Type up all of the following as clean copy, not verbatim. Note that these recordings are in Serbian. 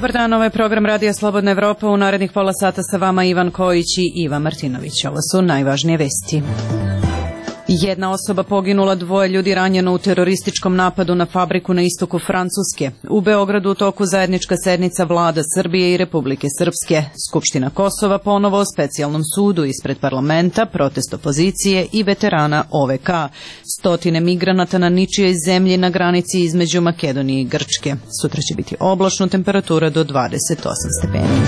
Dobar dan, ovo je program Radija Slobodna Evropa. U narednih pola sata sa vama Ivan Kojić i Ivan Martinović. Ovo su najvažnije vesti. Jedna osoba poginula, 2 ljudi ranjeno u terorističkom napadu na fabriku na istoku Francuske. U Beogradu u toku zajednička sednica vlada Srbije i Republike Srpske. Skupština Kosova ponovo o specijalnom sudu ispred parlamenta, protest opozicije i veterana OVK. Stotine migranata na ničijoj zemlji na granici između Makedonije i Grčke. Sutra će biti oblačno, temperatura do 28 stepeni.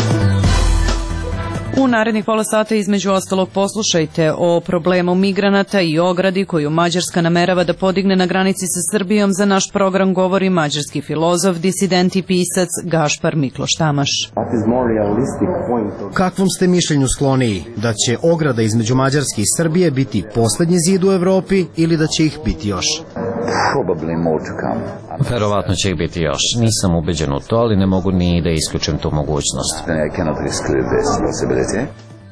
U narednih pola sata između ostalog poslušajte o problemu migranata i ogradi koju Mađarska namerava da podigne na granici sa Srbijom. Za naš program govori mađarski filozof, disident i pisac Gašpar Mikloš Tamaš. Kakvom ste mišljenju skloniji? Da će ograda između Mađarske i Srbije biti poslednji zid u Evropi ili da će ih biti još? Verovatno će ih biti još. Nisam ubeđen u to, ali ne mogu ni da isključim tu mogućnost.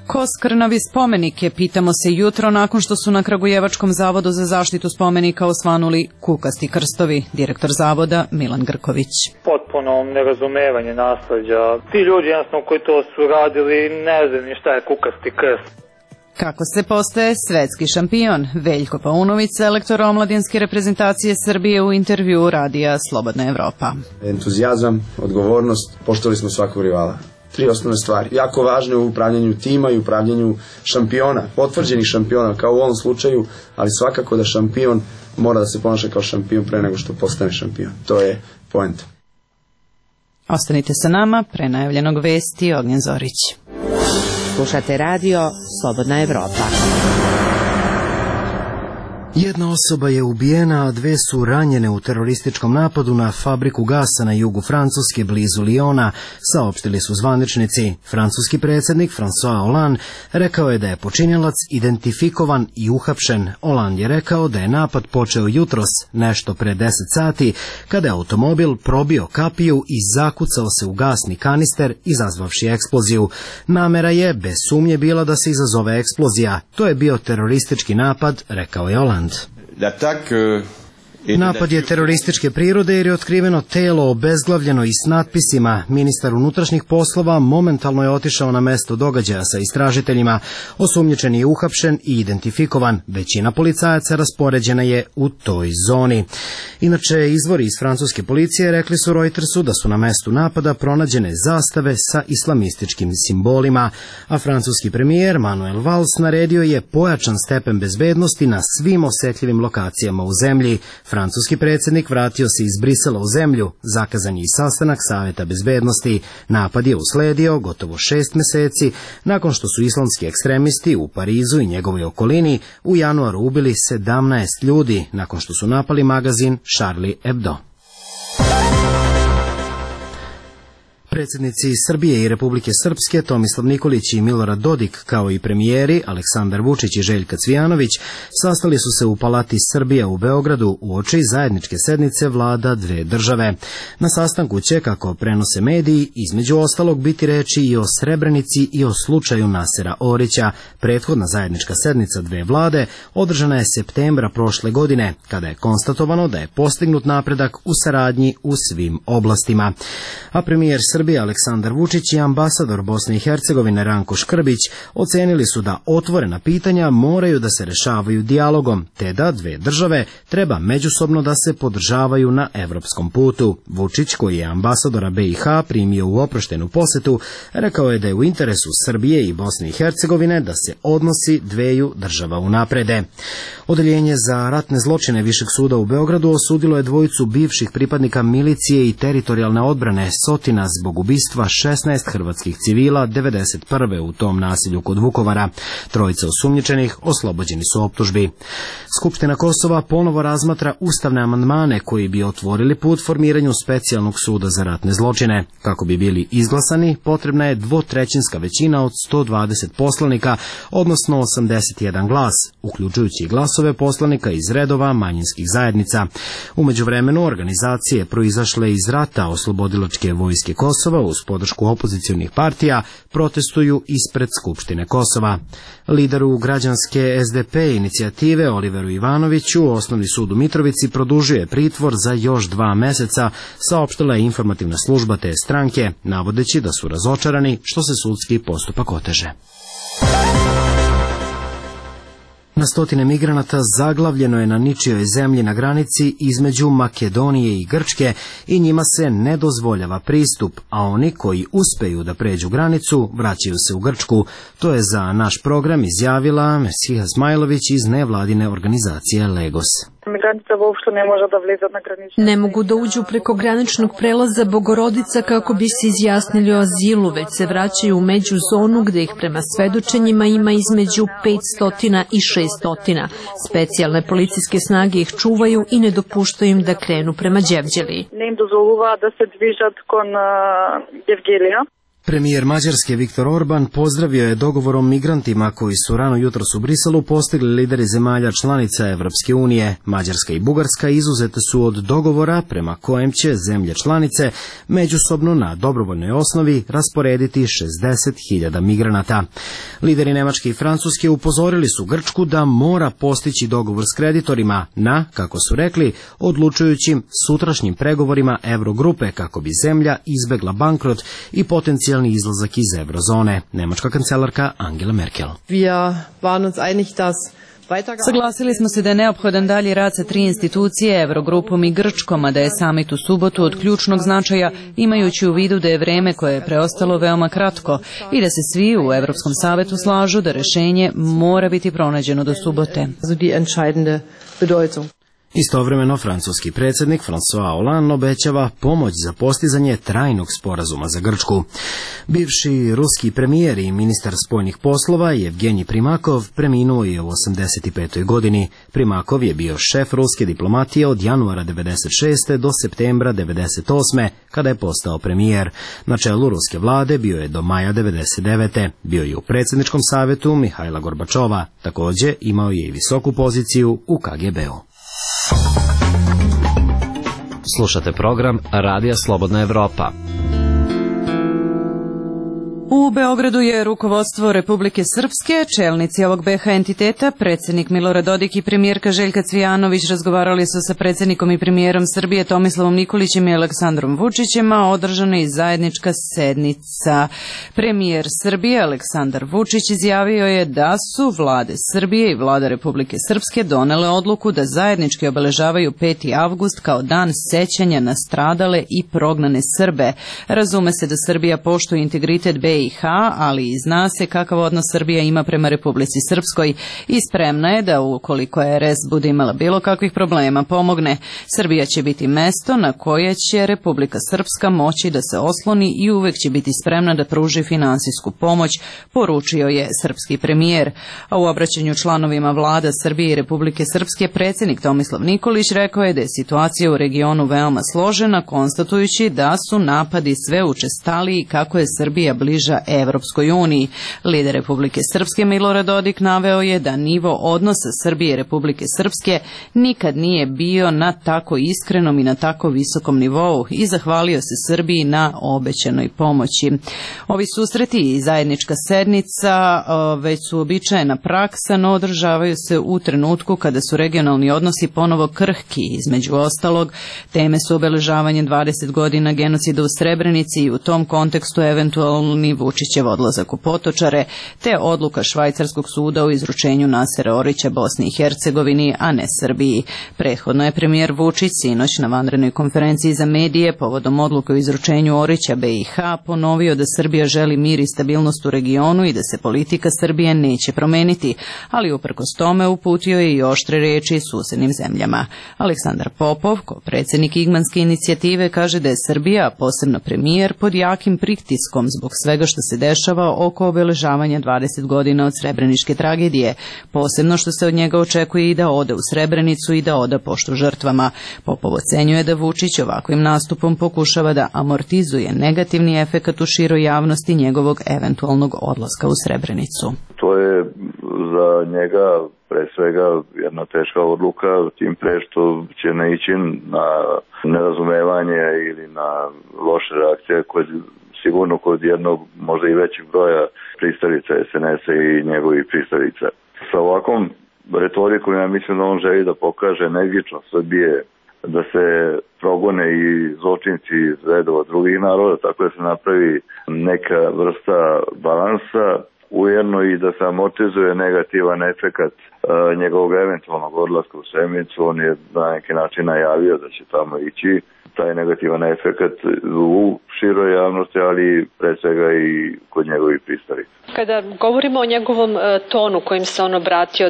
Ko skrnavi spomenike, pitamo se jutro nakon što su na Kragujevačkom zavodu za zaštitu spomenika osvanuli kukasti krstovi. Direktor zavoda Milan Grković. Potpuno nerazumevanje nasleđa. Ti ljudi jednostavno koji to su radili ne znam ni šta je kukasti krst. Kako se postaje svetski šampion? Veljko Paunović, selektor omladinske reprezentacije Srbije u intervjuu Radija Slobodna Evropa. Entuzijazam, odgovornost, poštovali smo svakog rivala. 3 osnovne stvari. Jako važne u upravljanju tima i upravljanju šampiona, potvrđenih šampiona kao u ovom slučaju, ali svakako da šampion mora da se ponaša kao šampion pre nego što postane šampion. To je poenta. Ostanite sa nama, pre najavljenog vesti Ognjen Zorić. Slušate radio Slobodna Evropa. Jedna osoba je ubijena, a 2 su ranjene u terorističkom napadu na fabriku gasa na jugu Francuske blizu Liona, saopštili su zvaničnici. Francuski predsjednik François Hollande rekao je da je počinjelac identifikovan i uhapšen. Hollande je rekao da je napad počeo jutros, nešto pre 10 sati, kada je automobil probio kapiju i zakucao se u gasni kanister, izazvavši eksploziju. Namera je bez sumnje bila da se izazove eksplozija. To je bio teroristički napad, rekao je Hollande. Napad je terorističke prirode jer je otkriveno telo obezglavljeno i s natpisima. Ministar unutrašnjih poslova momentalno je otišao na mesto događaja sa istražiteljima. Osumnjičen je uhapšen i identifikovan. Većina policajaca raspoređena je u toj zoni. Inače, izvori iz francuske policije rekli su Reutersu da su na mestu napada pronađene zastave sa islamističkim simbolima, a francuski premijer Manuel Valls naredio je pojačan stepen bezbednosti na svim osetljivim lokacijama u zemlji. Francuski predsjednik vratio se iz Brisela u zemlju, zakazan je i sastanak Saveta bezbednosti. Napad je usledio gotovo 6 meseci nakon što su islamski ekstremisti u Parizu i njegovoj okolini u januaru ubili 17 ljudi nakon što su napali magazin Charlie Hebdo. Predsjednici Srbije i Republike Srpske Tomislav Nikolić i Milorad Dodik, kao i premijeri Aleksandar Vučić i Željka Cvijanović, sastali su se u Palati Srbija u Beogradu uoči zajedničke sednice vlada 2 države. Na sastanku će, kako prenose mediji, između ostalog biti reči i o Srebrenici i o slučaju Nasera Orića. Prethodna zajednička sednica 2 vlade održana je septembra prošle godine, kada je konstatovano da je postignut napredak u saradnji u svim oblastima. A premijer Srbije Aleksandar Vučić i ambasador Bosne i Hercegovine Ranko Škrbić ocenili su da otvorena pitanja moraju da se rešavaju dijalogom, te da 2 države treba međusobno da se podržavaju na evropskom putu. Vučić, koji je ambasadora BiH primio u oproštenu posetu, rekao je da je u interesu Srbije i Bosne i Hercegovine da se odnosi 2 država unaprede. Odeljenje za ratne zločine Višeg suda u Beogradu osudilo je 2 bivših pripadnika milicije i teritorijalne odbrane Sotina zbog ubistva 16 hrvatskih civila 1991. u tom nasilju kod Vukovara. 3 osumnjičenih oslobođeni su optužbi. Skupština Kosova ponovo razmatra ustavne amandmane koji bi otvorili put formiranju specijalnog suda za ratne zločine. Kako bi bili izglasani, potrebna je 2/3 većina od 120 poslanika, odnosno 81 glas, uključujući glasove poslanika iz redova manjinskih zajednica. U međuvremenu organizacije proizašle iz rata Oslobodilačke vojske Kosova Kosova uz podršku opozicionih partija protestuju ispred Skupštine Kosova. Lideru građanske SDP inicijative Oliveru Ivanoviću Osnovni sud u Mitrovici produžuje pritvor za još 2 meseca, saopštila je informativna služba te stranke, navodeći da su razočarani što se sudski postupak oteže. Na stotine migranata zaglavljeno je na ničijoj zemlji na granici između Makedonije i Grčke i njima se ne dozvoljava pristup, a oni koji uspeju da pređu granicu vraćaju se u Grčku. To je za naš program izjavila Mesiha Smajlović iz nevladine organizacije Legos. Ne mogu da uđu preko graničnog prelaza Bogorodica kako bi se izjasnili o azilu, već se vraćaju u međuzonu gde ih prema svedočenjima ima između 500 i 600. Specijalne policijske snage ih čuvaju i ne dopuštaju im da krenu prema Đevđeli. Premijer Mađarske Viktor Orban pozdravio je dogovorom migrantima koji su rano jutros u Briselu postigli lideri zemalja članica Evropske unije. Mađarska i Bugarska izuzete su od dogovora prema kojem će zemlje članice međusobno na dobrovoljnoj osnovi rasporediti 60.000 migranata. Lideri Nemačke i Francuske upozorili su Grčku da mora postići dogovor s kreditorima na, kako su rekli, odlučujućim sutrašnjim pregovorima Eurogrupe kako bi zemlja izbegla bankrot i potencijalni izlazak iz eurozone. Nemačka kancelarka Angela Merkel. Saglasili smo se da je neophodan dalji rad sa 3 institucije, Eurogrupom i Grčkom, a da je samit u subotu od ključnog značaja, imajući u vidu da je vreme koje je preostalo veoma kratko i da se svi u Evropskom savetu slažu da rešenje mora biti pronađeno do subote. Istovremeno, francuski predsjednik François Hollande obećava pomoć za postizanje trajnog sporazuma za Grčku. Bivši ruski premijer i ministar spoljnih poslova Evgenij Primakov preminuo je u 85. godini. Primakov je bio šef ruske diplomatije od januara 96. do septembra 98. kada je postao premijer. Na čelu ruske vlade bio je do maja 99. Bio je u predsjedničkom savjetu Mihajla Gorbačova. Također imao je i visoku poziciju u KGB-u. Slušate program Radija Slobodna Evropa. U Beogradu je rukovodstvo Republike Srpske, čelnici ovog BiH entiteta, predsjednik Milorad Dodik i premijerka Željka Cvijanović razgovarali su sa predsjednikom i premijerom Srbije Tomislavom Nikolićem i Aleksandrom Vučićem, a održana je zajednička sednica. Premijer Srbije Aleksandar Vučić izjavio je da su vlade Srbije i vlada Republike Srpske donele odluku da zajednički obeležavaju 5. avgust kao dan sećanja na stradale i prognane Srbe. Razume se da Srbija poštuje integritet BiH, ali i zna se kakav odnos Srbija ima prema Republici Srpskoj i spremna je da ukoliko RS bude imala bilo kakvih problema pomogne. Srbija će biti mesto na koje će Republika Srpska moći da se osloni i uvek će biti spremna da pruži finansijsku pomoć, poručio je srpski premijer. A u obraćanju članovima vlada Srbije i Republike Srpske predsjednik Tomislav Nikolić rekao je da je situacija u regionu veoma složena, konstatujući da su napadi sve učestaliji kako je Srbija bliža Evropskoj uniji. Lider Republike Srpske Milorad Dodik naveo je da nivo odnosa Srbije i Republike Srpske nikad nije bio na tako iskrenom i na tako visokom nivou i zahvalio se Srbiji na obećanoj pomoći. Ovi susreti i zajednička sednica već su uobičajena praksa, no održavaju se u trenutku kada su regionalni odnosi ponovo krhki. Između ostalog, teme su obeležavanje 20 godina genocida u Srebrenici i u tom kontekstu eventualni Vučićev odlazak u Potočare, te odluka švajcarskog suda o izručenju Nasera Orića Bosni i Hercegovini, a ne Srbiji. Prethodno je premijer Vučić sinoć na vanrednoj konferenciji za medije povodom odluke o izručenju Orića BiH ponovio da Srbija želi mir i stabilnost u regionu i da se politika Srbije neće promeniti, ali uprkos tome uputio je i oštre reči susednim zemljama. Aleksandar Popov, predsjednik Igmanske inicijative, kaže da je Srbija, a posebno premijer, pod jakim pritiskom zbog svega što se dešava oko obeležavanja 20 godina od srebreničke tragedije, posebno što se od njega očekuje i da ode u Srebrenicu i da oda poštu žrtvama. Popov ocenjuje da Vučić ovakvim nastupom pokušava da amortizuje negativni efekat u široj javnosti njegovog eventualnog odlaska u Srebrenicu. To je za za njega pre svega jedna teška odluka, tim pre što će naići na nerazumevanje ili na loše reakcije sigurno kod jednog možda i većeg broja pristalica SNS-a i njegovih pristalica. Sa ovakvom retorikom ja mislim da on želi da pokaže energičnost Srbije, da se progone i zločinci iz redova drugih naroda, tako da se napravi neka vrsta balansa, ujedno i da se amortizuje negativan efekat njegovog eventualnog odlaska u Semicu. On je na neki način najavio da će tamo ići. Taj negativan efekat u široj javnosti, ali pre svega i kod njegovih pristalica. Kada govorimo o njegovom tonu kojim se on obratio,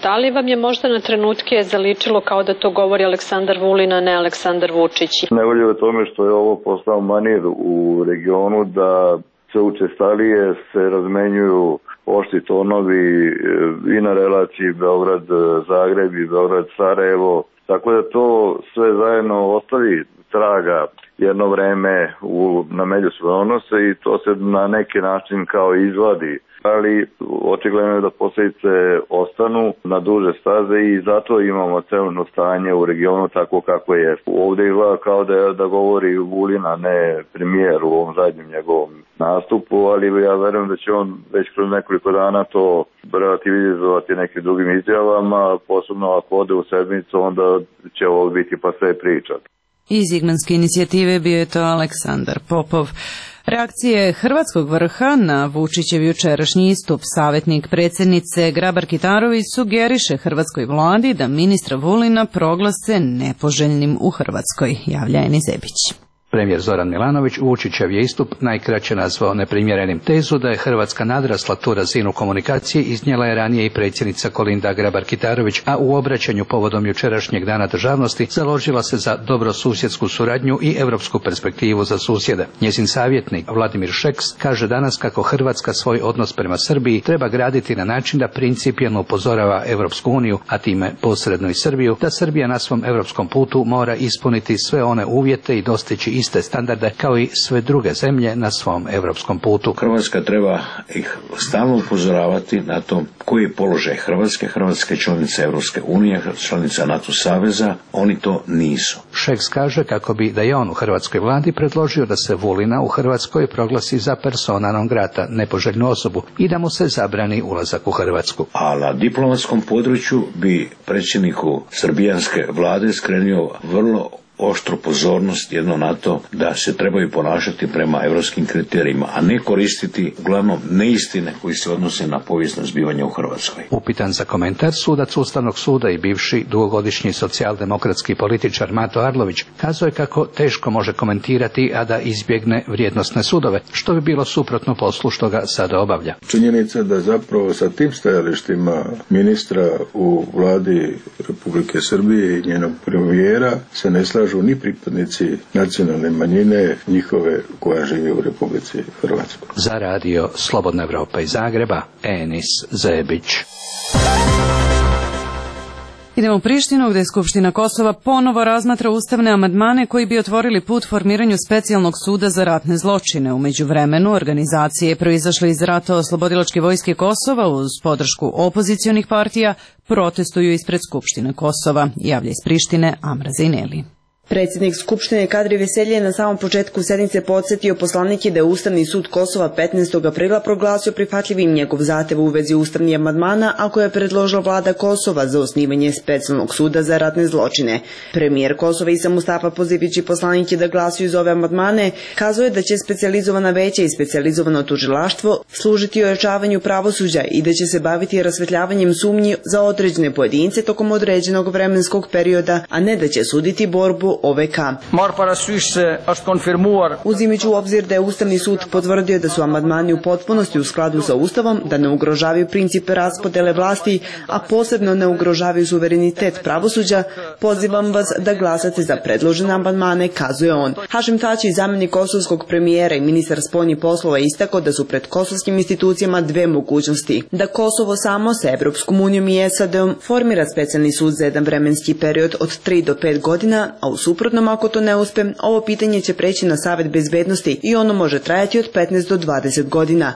da li vam je možda na trenutke zaličilo kao da to govori Aleksandar Vulin, a ne Aleksandar Vučić? Nevolje je tome što je ovo postao manir u regionu da sve učestalije se razmenjuju oštri tonovi i na relaciji Beograd-Zagreb i Beograd-Sarajevo, tako da to sve zajedno ostavi traga jedno vreme na međusobne odnose i to se na neki način kao izvadi. Ali očigledno je da posljedice ostanu na duže staze i zato imamo celno stanje u regionu tako kako je. Ovdje izgleda kao da govori Vulin, a ne premijer u ovom zadnjem njegovom nastupu, ali ja verujem da će on već kroz nekoliko dana to relativizovati nekim drugim izjavama, posebno ako ode u sedmicu, onda će ovo biti pa sve priča. Iz Ignanske inicijative bio je to Aleksandar Popov. Reakcije hrvatskog vrha na Vučićev jučerašnji istup, savjetnik predsjednice Grabar-Kitarović sugeriše hrvatskoj vladi da ministra Vulina proglase nepoželjnim u Hrvatskoj, javlja Eni Zebić. Premijer Zoran Milanović Vučićev je istup najkraće nazvao neprimjerenim. Tezu da je Hrvatska nadrasla tu razinu komunikacije iznijela je ranije i predsjednica Kolinda Grabar-Kitarović, a u obraćanju povodom jučerašnjeg dana državnosti založila se za dobrosusjedsku suradnju i europsku perspektivu za susjede. Njezin savjetnik Vladimir Šeks kaže danas kako Hrvatska svoj odnos prema Srbiji treba graditi na način da principijelno upozorava Europsku uniju, a time posredno i Srbiju, da Srbija na svom europskom putu mora ispuniti sve one uvjete i dostići iste standarde kao i sve druge zemlje na svom europskom putu. Hrvatska treba ih stalno upozoravati na to koji je položaj Hrvatske. Hrvatska je članica Europske unije, članica NATO saveza, oni to nisu. Šeks kaže kako bi da je on u hrvatskoj vladi predložio da se Vulina u Hrvatskoj proglasi za persona non grata, nepoželjnu osobu, i da mu se zabrani ulazak u Hrvatsku. A na diplomatskom području bi predsjedniku srbijanske vlade skrenio vrlo oštru pozornost jedno na to da se trebaju ponašati prema europskim kriterijima, a ne koristiti uglavnom neistine koji se odnose na povijesno zbivanje u Hrvatskoj. Upitan za komentar, sudac Ustavnog suda i bivši dugogodišnji socijaldemokratski političar Mato Arlović kazao je kako teško može komentirati, a da izbjegne vrijednosne sudove, što bi bilo suprotno poslu što ga sada obavlja. Činjenica da zapravo sa tim stajalištima ministra u vladi Republike Srbije i njenog premijera se ne slažu ni pripadnici nacionalne manjine njihove koja živi u Republici Hrvatskoj. Za radio Slobodna Evropa iz Zagreba, Enis Zebić. Idemo u Prištinu, gdje Skupština Kosova ponovo razmatra ustavne amandmane koji bi otvorili put formiranju specijalnog suda za ratne zločine. U međuvremenu organizacije proizašle iz rata Oslobodilačke vojske Kosova uz podršku opozicionih partija protestuju ispred Skupštine Kosova, javlja iz Prištine Amra Zejneli. Predsjednik Skupštine Kadri Veselje je na samom početku sednice podsjetio poslanike da je Ustavni sud Kosova 15. aprila proglasio prihvatljivim njegov zahtev u vezi ustavnih amandmana, a koje je predložila vlada Kosova za osnivanje specijalnog suda za ratne zločine. Premijer Kosova Isa Mustafa, pozivajući poslanike da glasuju za ove amandmane, kazuje da će specijalizovana veća i specijalizovano tužilaštvo služiti ojačavanju pravosuđa i da će se baviti rasvetljavanjem sumnji za određene pojedince tokom određenog vremenskog perioda, a ne da će suditi borbu OVK. Uzimajući u obzir da je Ustavni sud potvrdio da su amandmani u potpunosti u skladu sa Ustavom, da ne ugrožavaju principe raspodele vlasti, a posebno ne ugrožavaju suverenitet pravosuđa, pozivam vas da glasate za predložene amandmane, kazuje on. Hašim Tači, zamjenik kosovskog premijera i ministar spoljnih poslova, istakao da su pred kosovskim institucijama dve mogućnosti: da Kosovo samo sa Evropskom unijom i SAD-om formira specijalni sud za jedan vremenski period od 3 do 5 godina, a u suprotnom, ako to ne uspe, ovo pitanje će preći na Savet bezbednosti i ono može trajati od 15 do 20 godina.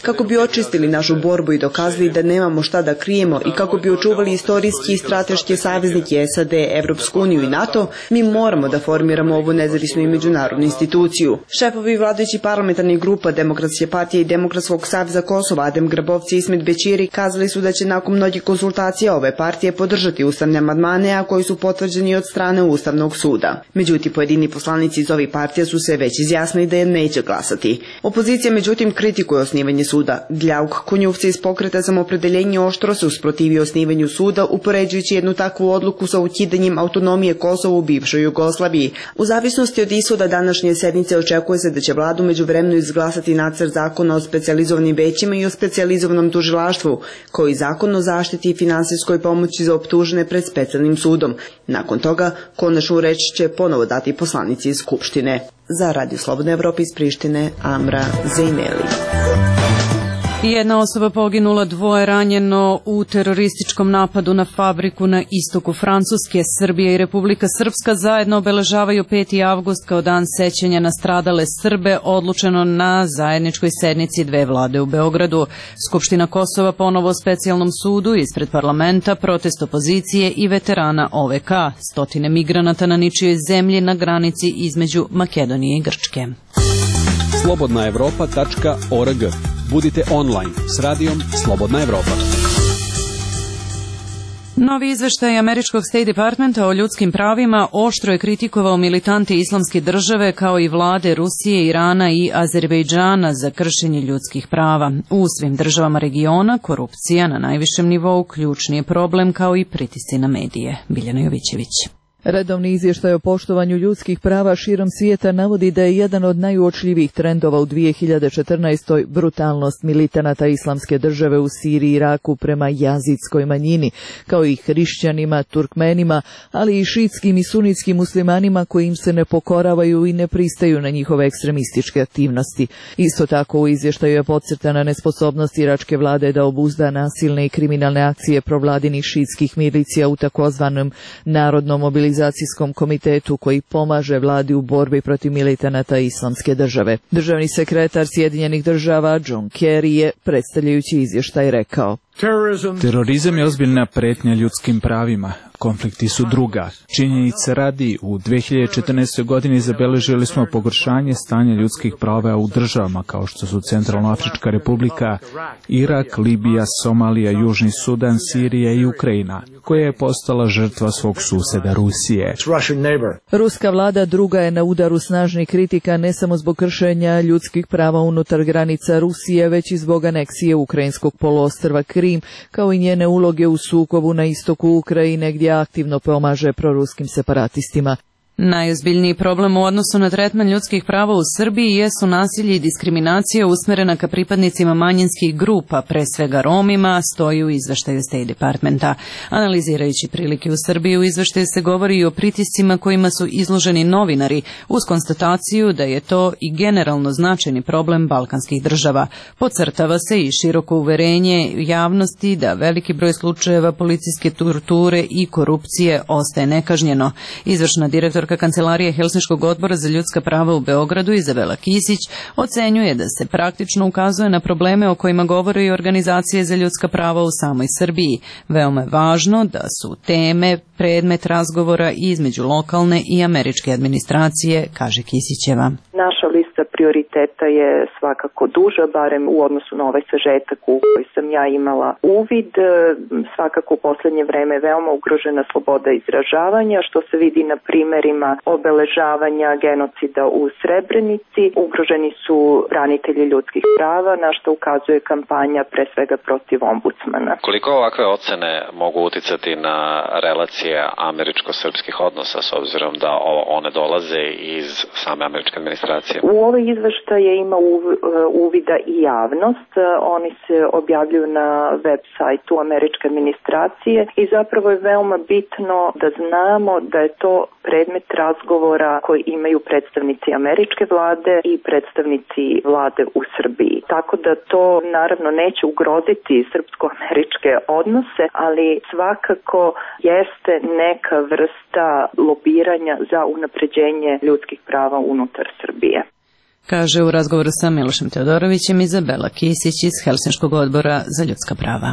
Kako bi očistili našu borbu i dokazali da nemamo šta da krijemo i kako bi očuvali istorijski i strateške saveznike SAD, Evropsku uniju i NATO, mi moramo da formiramo ovu nezavisnu i međunarodnu instituciju. Šefovi vladajući parlamentarnih grupa Demokratske partije i Demokratskog saveza Kosova Adem Grabovci i Ismet Bećiri kazali su da će nakon mnogih konsultacija ove partije podržati ustavne amandmane, a koji su potvrđeni od strane Ustavnog suda. Međutim, pojedini poslanici iz ovih partija su se već izjasnili da je neće glasati. Opozicija međutim kritikuje osnivanje suda. Gljauk Konjuvci iz Pokreta Samoopredeljenje oštro se usprotivio osnivanju suda, upoređujući jednu takvu odluku sa ukidanjem autonomije Kosova u bivšoj Jugoslaviji. U zavisnosti od ishoda današnje sednice očekuje se da će vlada međuvremenu izglasati nacrt zakona o specijalizovanim većima i o specijalizovanom tužilaštvu, kao i zakon o zaštiti i finansijskoj pomoći za optužene pred specijalnim sudom. Nakon toga, konačnu reč će ponovo dati poslanici iz Skupštine. Za Radio Slobodna Evropa iz Prištine, Amra Zejneli. Jedna osoba poginula, 2 ranjeno u terorističkom napadu na fabriku na istoku Francuske. Srbija i Republika Srpska zajedno obeležavaju 5. avgust kao dan sećanja na stradale Srbe, odlučeno na zajedničkoj sednici dve vlade u Beogradu. Skupština Kosova ponovo o specijalnom sudu ispred parlamenta, protest opozicije i veterana OVK. Stotine migranata na ničijoj zemlji na granici između Makedonije i Grčke. slobodnaevropa.org. Budite online s radijom Slobodna Evropa. Novi izveštaj američkog State Departmenta o ljudskim pravima oštro je kritikovao militante Islamske države kao i vlade Rusije, Irana i Azerbejdžana za kršenje ljudskih prava. U svim državama regiona korupcija na najvišem nivou ključni je problem, kao i pritisci na medije. Biljana Jovićević. Redovni izvještaj o poštovanju ljudskih prava širom svijeta navodi da je jedan od najuočljivijih trendova u 2014. brutalnost militanata Islamske države u Siriji i Iraku prema jazidskoj manjini, kao i hrišćanima, Turkmenima, ali i šiitskim i sunitskim muslimanima koji im se ne pokoravaju i ne pristaju na njihove ekstremističke aktivnosti. Isto tako u izvještaju je podcrtana nesposobnost iračke vlade da obuzda nasilne i kriminalne akcije provladinih šiitskih milicija u takozvanom narodnom mobilizacijskom komitetu koji pomaže vladi u borbi protiv militanata Islamske države. Državni sekretar Sjedinjenih država John Kerry je, predstavljajući izvještaj, rekao: Terorizam je ozbiljna pretnja ljudskim pravima. Konflikti su druga. Činjenice radi, u 2014. godini zabeležili smo pogoršanje stanja ljudskih prava u državama kao što su Centralnoafrička republika, Irak, Libija, Somalija, Južni Sudan, Sirija i Ukrajina, koja je postala žrtva svog suseda Rusije. Ruska vlada druga je na udaru snažnih kritika ne samo zbog kršenja ljudskih prava unutar granica Rusije, već i zbog aneksije ukrajinskog poluostrva Krim, kao i njene uloge u sukobu na istoku Ukrajine gdje aktivno pomaže proruskim separatistima. Najozbiljniji problem u odnosu na tretman ljudskih prava u Srbiji jesu nasilje i diskriminacija usmerena ka pripadnicima manjinskih grupa, pre svega Romima, stoji u izveštaju State Departmenta. Analizirajući prilike u Srbiji, u izveštaju se govori i o pritiscima kojima su izloženi novinari, uz konstataciju da je to i generalno značajni problem balkanskih država. Podcrtava se i široko uverenje javnosti da veliki broj slučajeva policijske torture i korupcije ostaje nekažnjeno. Izvršna direktorka Kancelarije Helsinškog odbora za ljudska prava u Beogradu, Izabela Kisić, ocenjuje da se praktično ukazuje na probleme o kojima govore i organizacije za ljudska prava u samoj Srbiji. Veoma je važno da su teme predmet razgovora između lokalne i američke administracije, kaže Kisićeva. Naša lista prioriteta je svakako duža, barem u odnosu na ovaj sažetak u koji sam ja imala uvid. Svakako u poslednje vreme je veoma ugrožena sloboda izražavanja, što se vidi na primerima obeležavanja genocida u Srebrenici. Ugroženi su branitelji ljudskih prava, na što ukazuje kampanja pre svega protiv ombudsmana. Koliko ovakve ocene mogu uticati na relacije američko-srpskih odnosa, s obzirom da one dolaze iz same američke administracije? administracije? U ove izveštaje ima uvida i javnost. Oni se objavljuju na web sajtu američke administracije i zapravo je veoma bitno da znamo da je to predmet razgovora koji imaju predstavnici američke vlade i predstavnici vlade u Srbiji. Tako da to naravno neće ugroziti srpsko-američke odnose, ali svakako jeste neka vrsta lobiranja za unapređenje ljudskih prava unutar Srbije. Kaže u razgovoru sa Milošem Teodorovićem Izabela Kisić iz Helsinškog odbora za ljudska prava.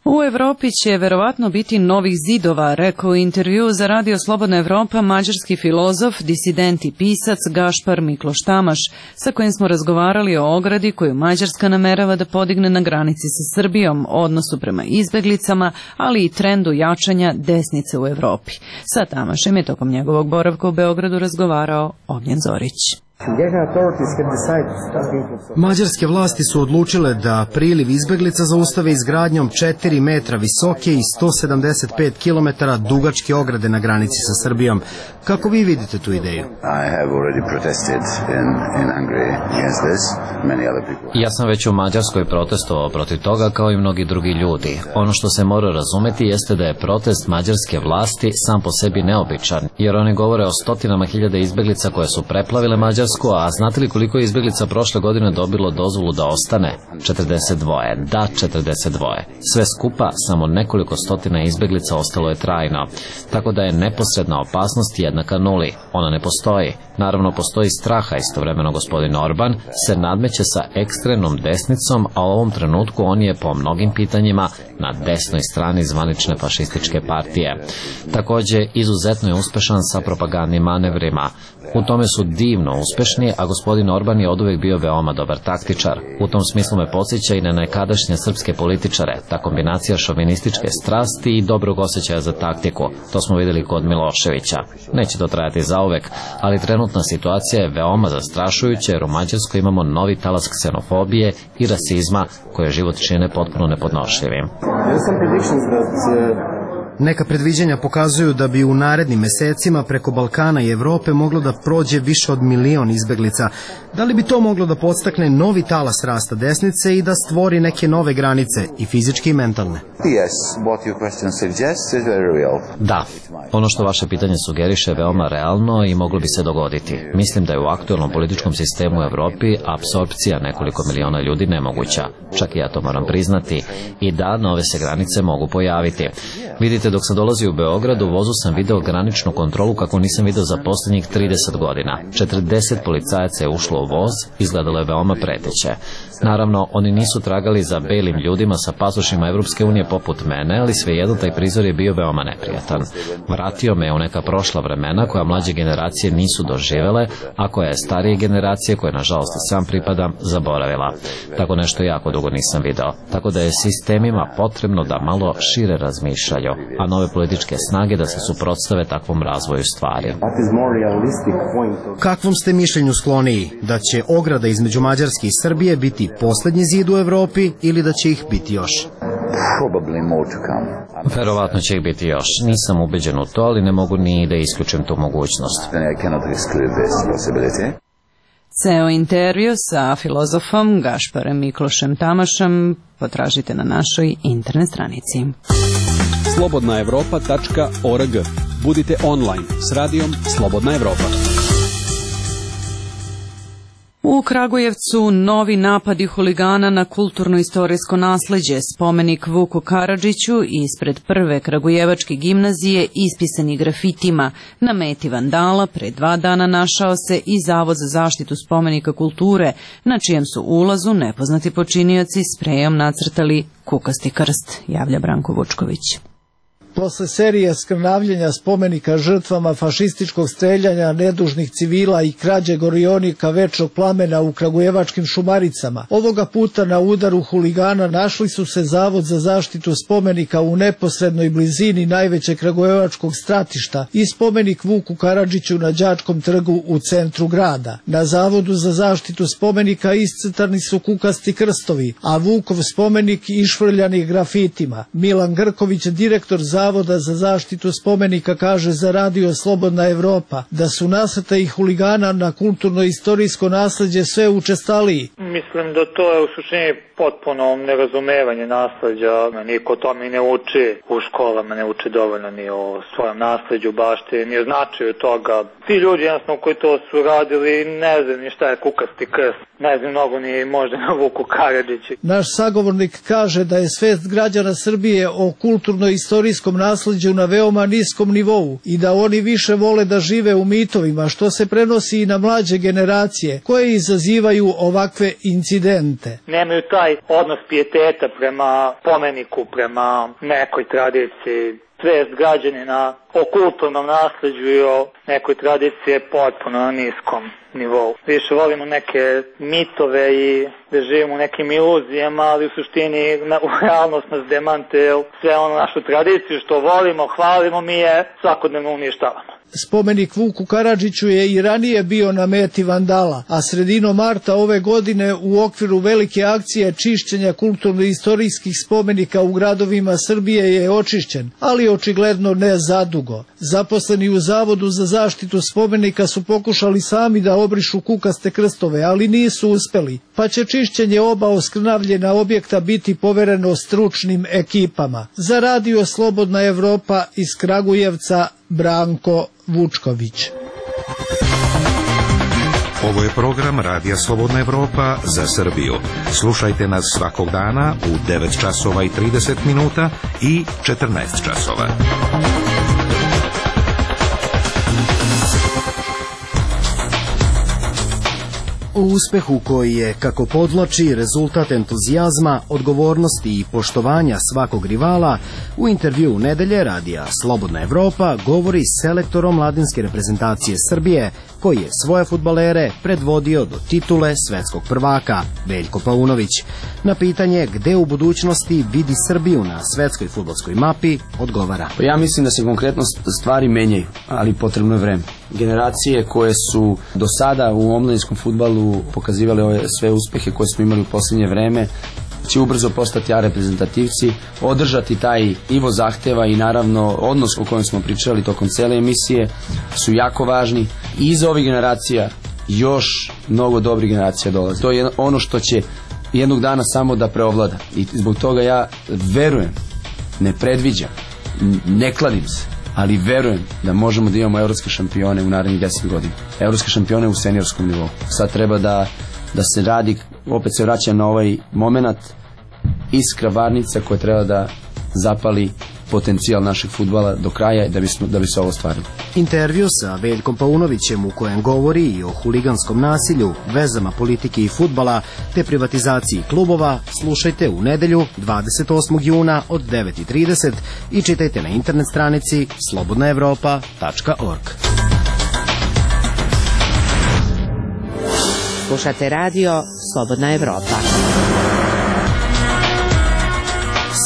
U Evropi će verovatno biti novih zidova, rekao u intervju za Radio Slobodna Evropa mađarski filozof, disident i pisac Gašpar Mikloš Tamaš, sa kojim smo razgovarali o ogradi koju Mađarska namerava da podigne na granici sa Srbijom, odnosu prema izbeglicama, ali i trendu jačanja desnice u Evropi. Sa Tamašem je tokom njegovog boravka u Beogradu razgovarao Ognjen Zorić. Mađarske vlasti su odlučile da priliv izbeglica zaustave izgradnjom 4 metra visoke i 175 km dugačke ograde na granici sa Srbijom. Kako vi vidite tu ideju? Ja sam već u Mađarskoj protestovao protiv toga kao i mnogi drugi ljudi. Ono što se mora razumeti jeste da je protest mađarske vlasti sam po sebi neobičan, jer oni govore o stotinama hiljada izbeglica koje su preplavile Mađarsku, a znate li koliko je izbeglica prošle godine dobilo dozvolu da ostane? 42. Da, 42. Sve skupa, samo nekoliko stotina izbeglica ostalo je trajno. Tako da je neposredna opasnost jednaka nuli. Ona ne postoji. Naravno, postoji straha. Istovremeno gospodin Orban se nadmeće sa ekstremnom desnicom, a u ovom trenutku on je po mnogim pitanjima na desnoj strani zvanične fašističke partije. Takođe, izuzetno je uspešan sa propagandnim manevrima. U tome su divno uspešni, a gospodin Orban je oduvek bio veoma dobar taktičar. U tom smislu me podsjeća i na nekadašnje srpske političare, ta kombinacija šovinističke strasti i dobrog osjećaja za taktiku. To smo videli kod Miloševića. Neće to trajati zauvek, ali trenutna situacija je veoma zastrašujuća jer u Mađarskoj imamo novi talas ksenofobije i rasizma koje život čine potpuno nepodnošljivim. Neka predviđanja pokazuju da bi u narednim mesecima preko Balkana i Evrope moglo da prođe više od 1 milion izbeglica. Da li bi to moglo da podstakne novi talas rasta desnice i da stvori neke nove granice, i fizičke i mentalne? Da, ono što vaše pitanje sugeriše je veoma realno i moglo bi se dogoditi. Mislim da je u aktuelnom političkom sistemu u Evropi apsorpcija nekoliko miliona ljudi nemoguća. Čak i ja to moram priznati. I da, nove se granice mogu pojaviti. Vidite, dok sam dolazio u Beograd, u vozu sam video graničnu kontrolu kako nisam video za poslednjih 30 godina. 40 policajaca je ušlo u voz, izgledalo je veoma preteće. Naravno, oni nisu tragali za belim ljudima sa pasošima Evropske unije poput mene, ali svejedno taj prizor je bio veoma neprijatan. Vratio me u neka prošla vremena koja mlađe generacije nisu doživele, a koja je starije generacije, koje nažalost i sam pripadam, zaboravila. Tako nešto jako dugo nisam video. Tako da je sistemima potrebno da malo šire razmišljaju, a nove političke snage da se suprotstave takvom razvoju stvari. Kakvom ste mišljenju skloniji? Da će ograda između Mađarske i Srbije biti poslednji zid u Evropi ili da će ih biti još? Verovatno će ih biti još. Nisam ubeđen u to, ali ne mogu ni da isključim tu mogućnost. Ceo intervju sa filozofom Gašparem Miklošem Tamašem potražite na našoj internet stranici. slobodnaevropa.org. Budite online s radijom Slobodna Evropa. U Kragujevcu novi napadi huligana na kulturno-istorijsko nasleđe, spomenik Vuku Karadžiću ispred prve kragujevačke gimnazije ispisani grafitima. Na meti vandala pre 2 dana našao se i Zavod za zaštitu spomenika kulture, na čijem su ulazu nepoznati počinioci sprejom nacrtali kukasti krst, javlja Branko Vučković. Posle serije skrnavljenja spomenika žrtvama fašističkog streljanja nedužnih civila i krađe gorionika večnog plamena u kragujevačkim Šumaricama, ovoga puta na udaru huligana našli su se Zavod za zaštitu spomenika u neposrednoj blizini najvećeg kragujevačkog stratišta i spomenik Vuku Karadžiću na Đačkom trgu u centru grada. Na Zavodu za zaštitu spomenika iscrtani su kukasti krstovi, a Vukov spomenik išvrljani grafitima. Milan Grković, direktor Zavoda Zavoda za zaštitu spomenika kaže za Radio Slobodna Evropa da su nasrtaji huligana na kulturno-istorijsko nasleđe sve učestaliji. Mislim da to je u suštini potpuno nerazumevanje nasleđa. Niko tome ne uči u školama, ne uči dovoljno ni o svojem nasleđu, baštini, ni o značaju toga. Ti ljudi jednostavno koji to su radili ne znam ni šta je kukasti krst, ne znam mnogo ni možda na Vuku Karadžići. Naš sagovornik kaže da je svest građana Srbije o kulturno-istorijskom nasleđu na veoma niskom nivou i da oni više vole da žive u mitovima, što se prenosi i na mlađe generacije koje izazivaju ovakve incidente. Nemaju taj odnos pijeteta prema spomeniku, prema nekoj tradiciji. Svest građanina o kulturnom nasleđu i o nekoj tradiciji je potpuno na niskom nivou. Više volimo neke mitove i da živimo u nekim iluzijama, ali u suštini u realnost nas demante, sve ono našu tradiciju što volimo, hvalimo, mi je svakodnevno uništavamo. Spomenik Vuku Karadžiću je i ranije bio na meti vandala, a sredinom marta ove godine u okviru velike akcije čišćenja kulturno-istorijskih spomenika u gradovima Srbije je očišćen, ali očigledno ne zadugo. Zaposleni u Zavodu za zaštitu spomenika su pokušali sami da obrišu kukaste krstove, ali nisu uspeli, pa će čišćenje oba oskrnavljena objekta biti povereno stručnim ekipama. Za Radio Slobodna Evropa iz Kragujevca, Branko Vučković. Ovo je program Radija Slobodna Evropa za Srbiju. Slušajte nas svakog dana u 9 časova i 30 minuta i 14 časova. O uspehu koji je, kako podvlači, rezultat entuzijazma, odgovornosti i poštovanja svakog rivala, u intervju u nedelje Radija Slobodna Evropa govori selektor omladinske reprezentacije Srbije, koji je svoje fudbalere predvodio do titule svetskog prvaka, Veljko Paunović. Na pitanje gde u budućnosti vidi Srbiju na svetskoj fudbalskoj mapi, odgovara. Ja mislim da se konkretno stvari menjaju, ali potrebno je vreme. Generacije koje su do sada u omladinskom fudbalu pokazivali ove sve uspehe koje smo imali u posljednje vreme, će ubrzo postati reprezentativci, održati taj nivo zahteva i naravno odnos o kojem smo pričali tokom cele emisije su jako važni. I iza ovih generacija još mnogo dobrih generacija dolazi. To je ono što će jednog dana samo da preovlada. I zbog toga ja verujem, ne predviđam, ne kladim se, ali verujem da možemo da imamo evropske šampione u narednih 10 godina. Evropske šampione u seniorskom nivou. Sad treba da se radi, opet se vraćam na ovaj moment, iskra varnica koja treba da zapali potencijal našeg fudbala do kraja da bi se ovo ostvarilo. Intervju sa Veljkom Paunovićem u kojem govori i o huliganskom nasilju, vezama politike i fudbala te privatizaciji klubova slušajte u nedelju 28. juna od 9:30 i čitajte na internet stranici slobodnaevropa.org. Slušate radio Slobodna Evropa.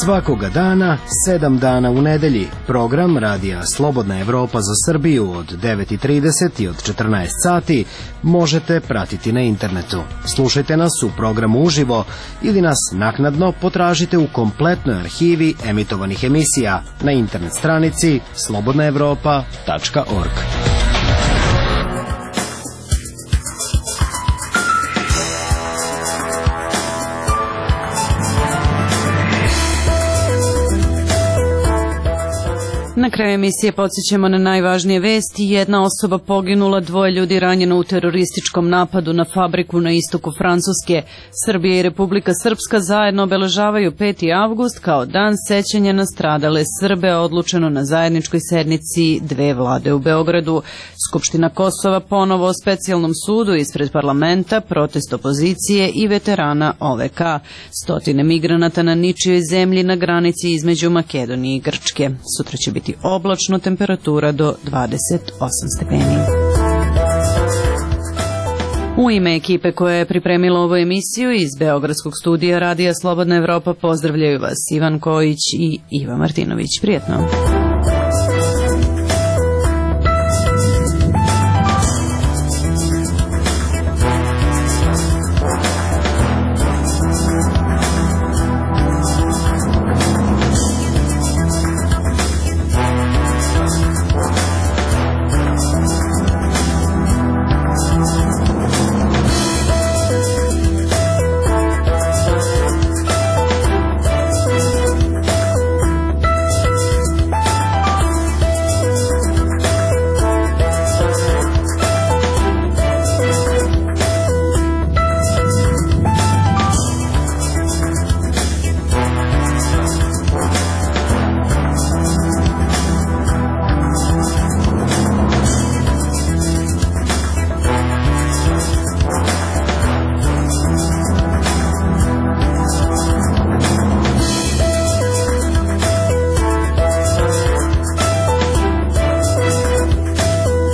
Svakoga dana, 7 dana u nedelji, program Radija Slobodna Evropa za Srbiju od 9:30 i od 14 sati možete pratiti na internetu. Slušajte nas u programu uživo ili nas naknadno potražite u kompletnoj arhivi emitovanih emisija na internet stranici slobodnaevropa.org. Na kraju emisije podsjećamo na najvažnije vesti. Jedna osoba poginula, 2 ljudi ranjeno u terorističkom napadu na fabriku na istoku Francuske. Srbija i Republika Srpska zajedno obeležavaju 5. avgust kao dan sećanja na stradale Srbe, odlučeno na zajedničkoj sednici dve vlade u Beogradu. Skupština Kosova ponovo o specijalnom sudu ispred parlamenta, protest opozicije i veterana OVK. Stotine migranata na ničijoj zemlji na granici između Makedonije i Grčke. Sutra će biti oblačno, temperatura do 28 stepeni. U ime ekipe koja je pripremila ovu emisiju iz Beogradskog studija Radija Slobodna Evropa pozdravljaju vas Ivan Kojić i Iva Martinović. Prijetno!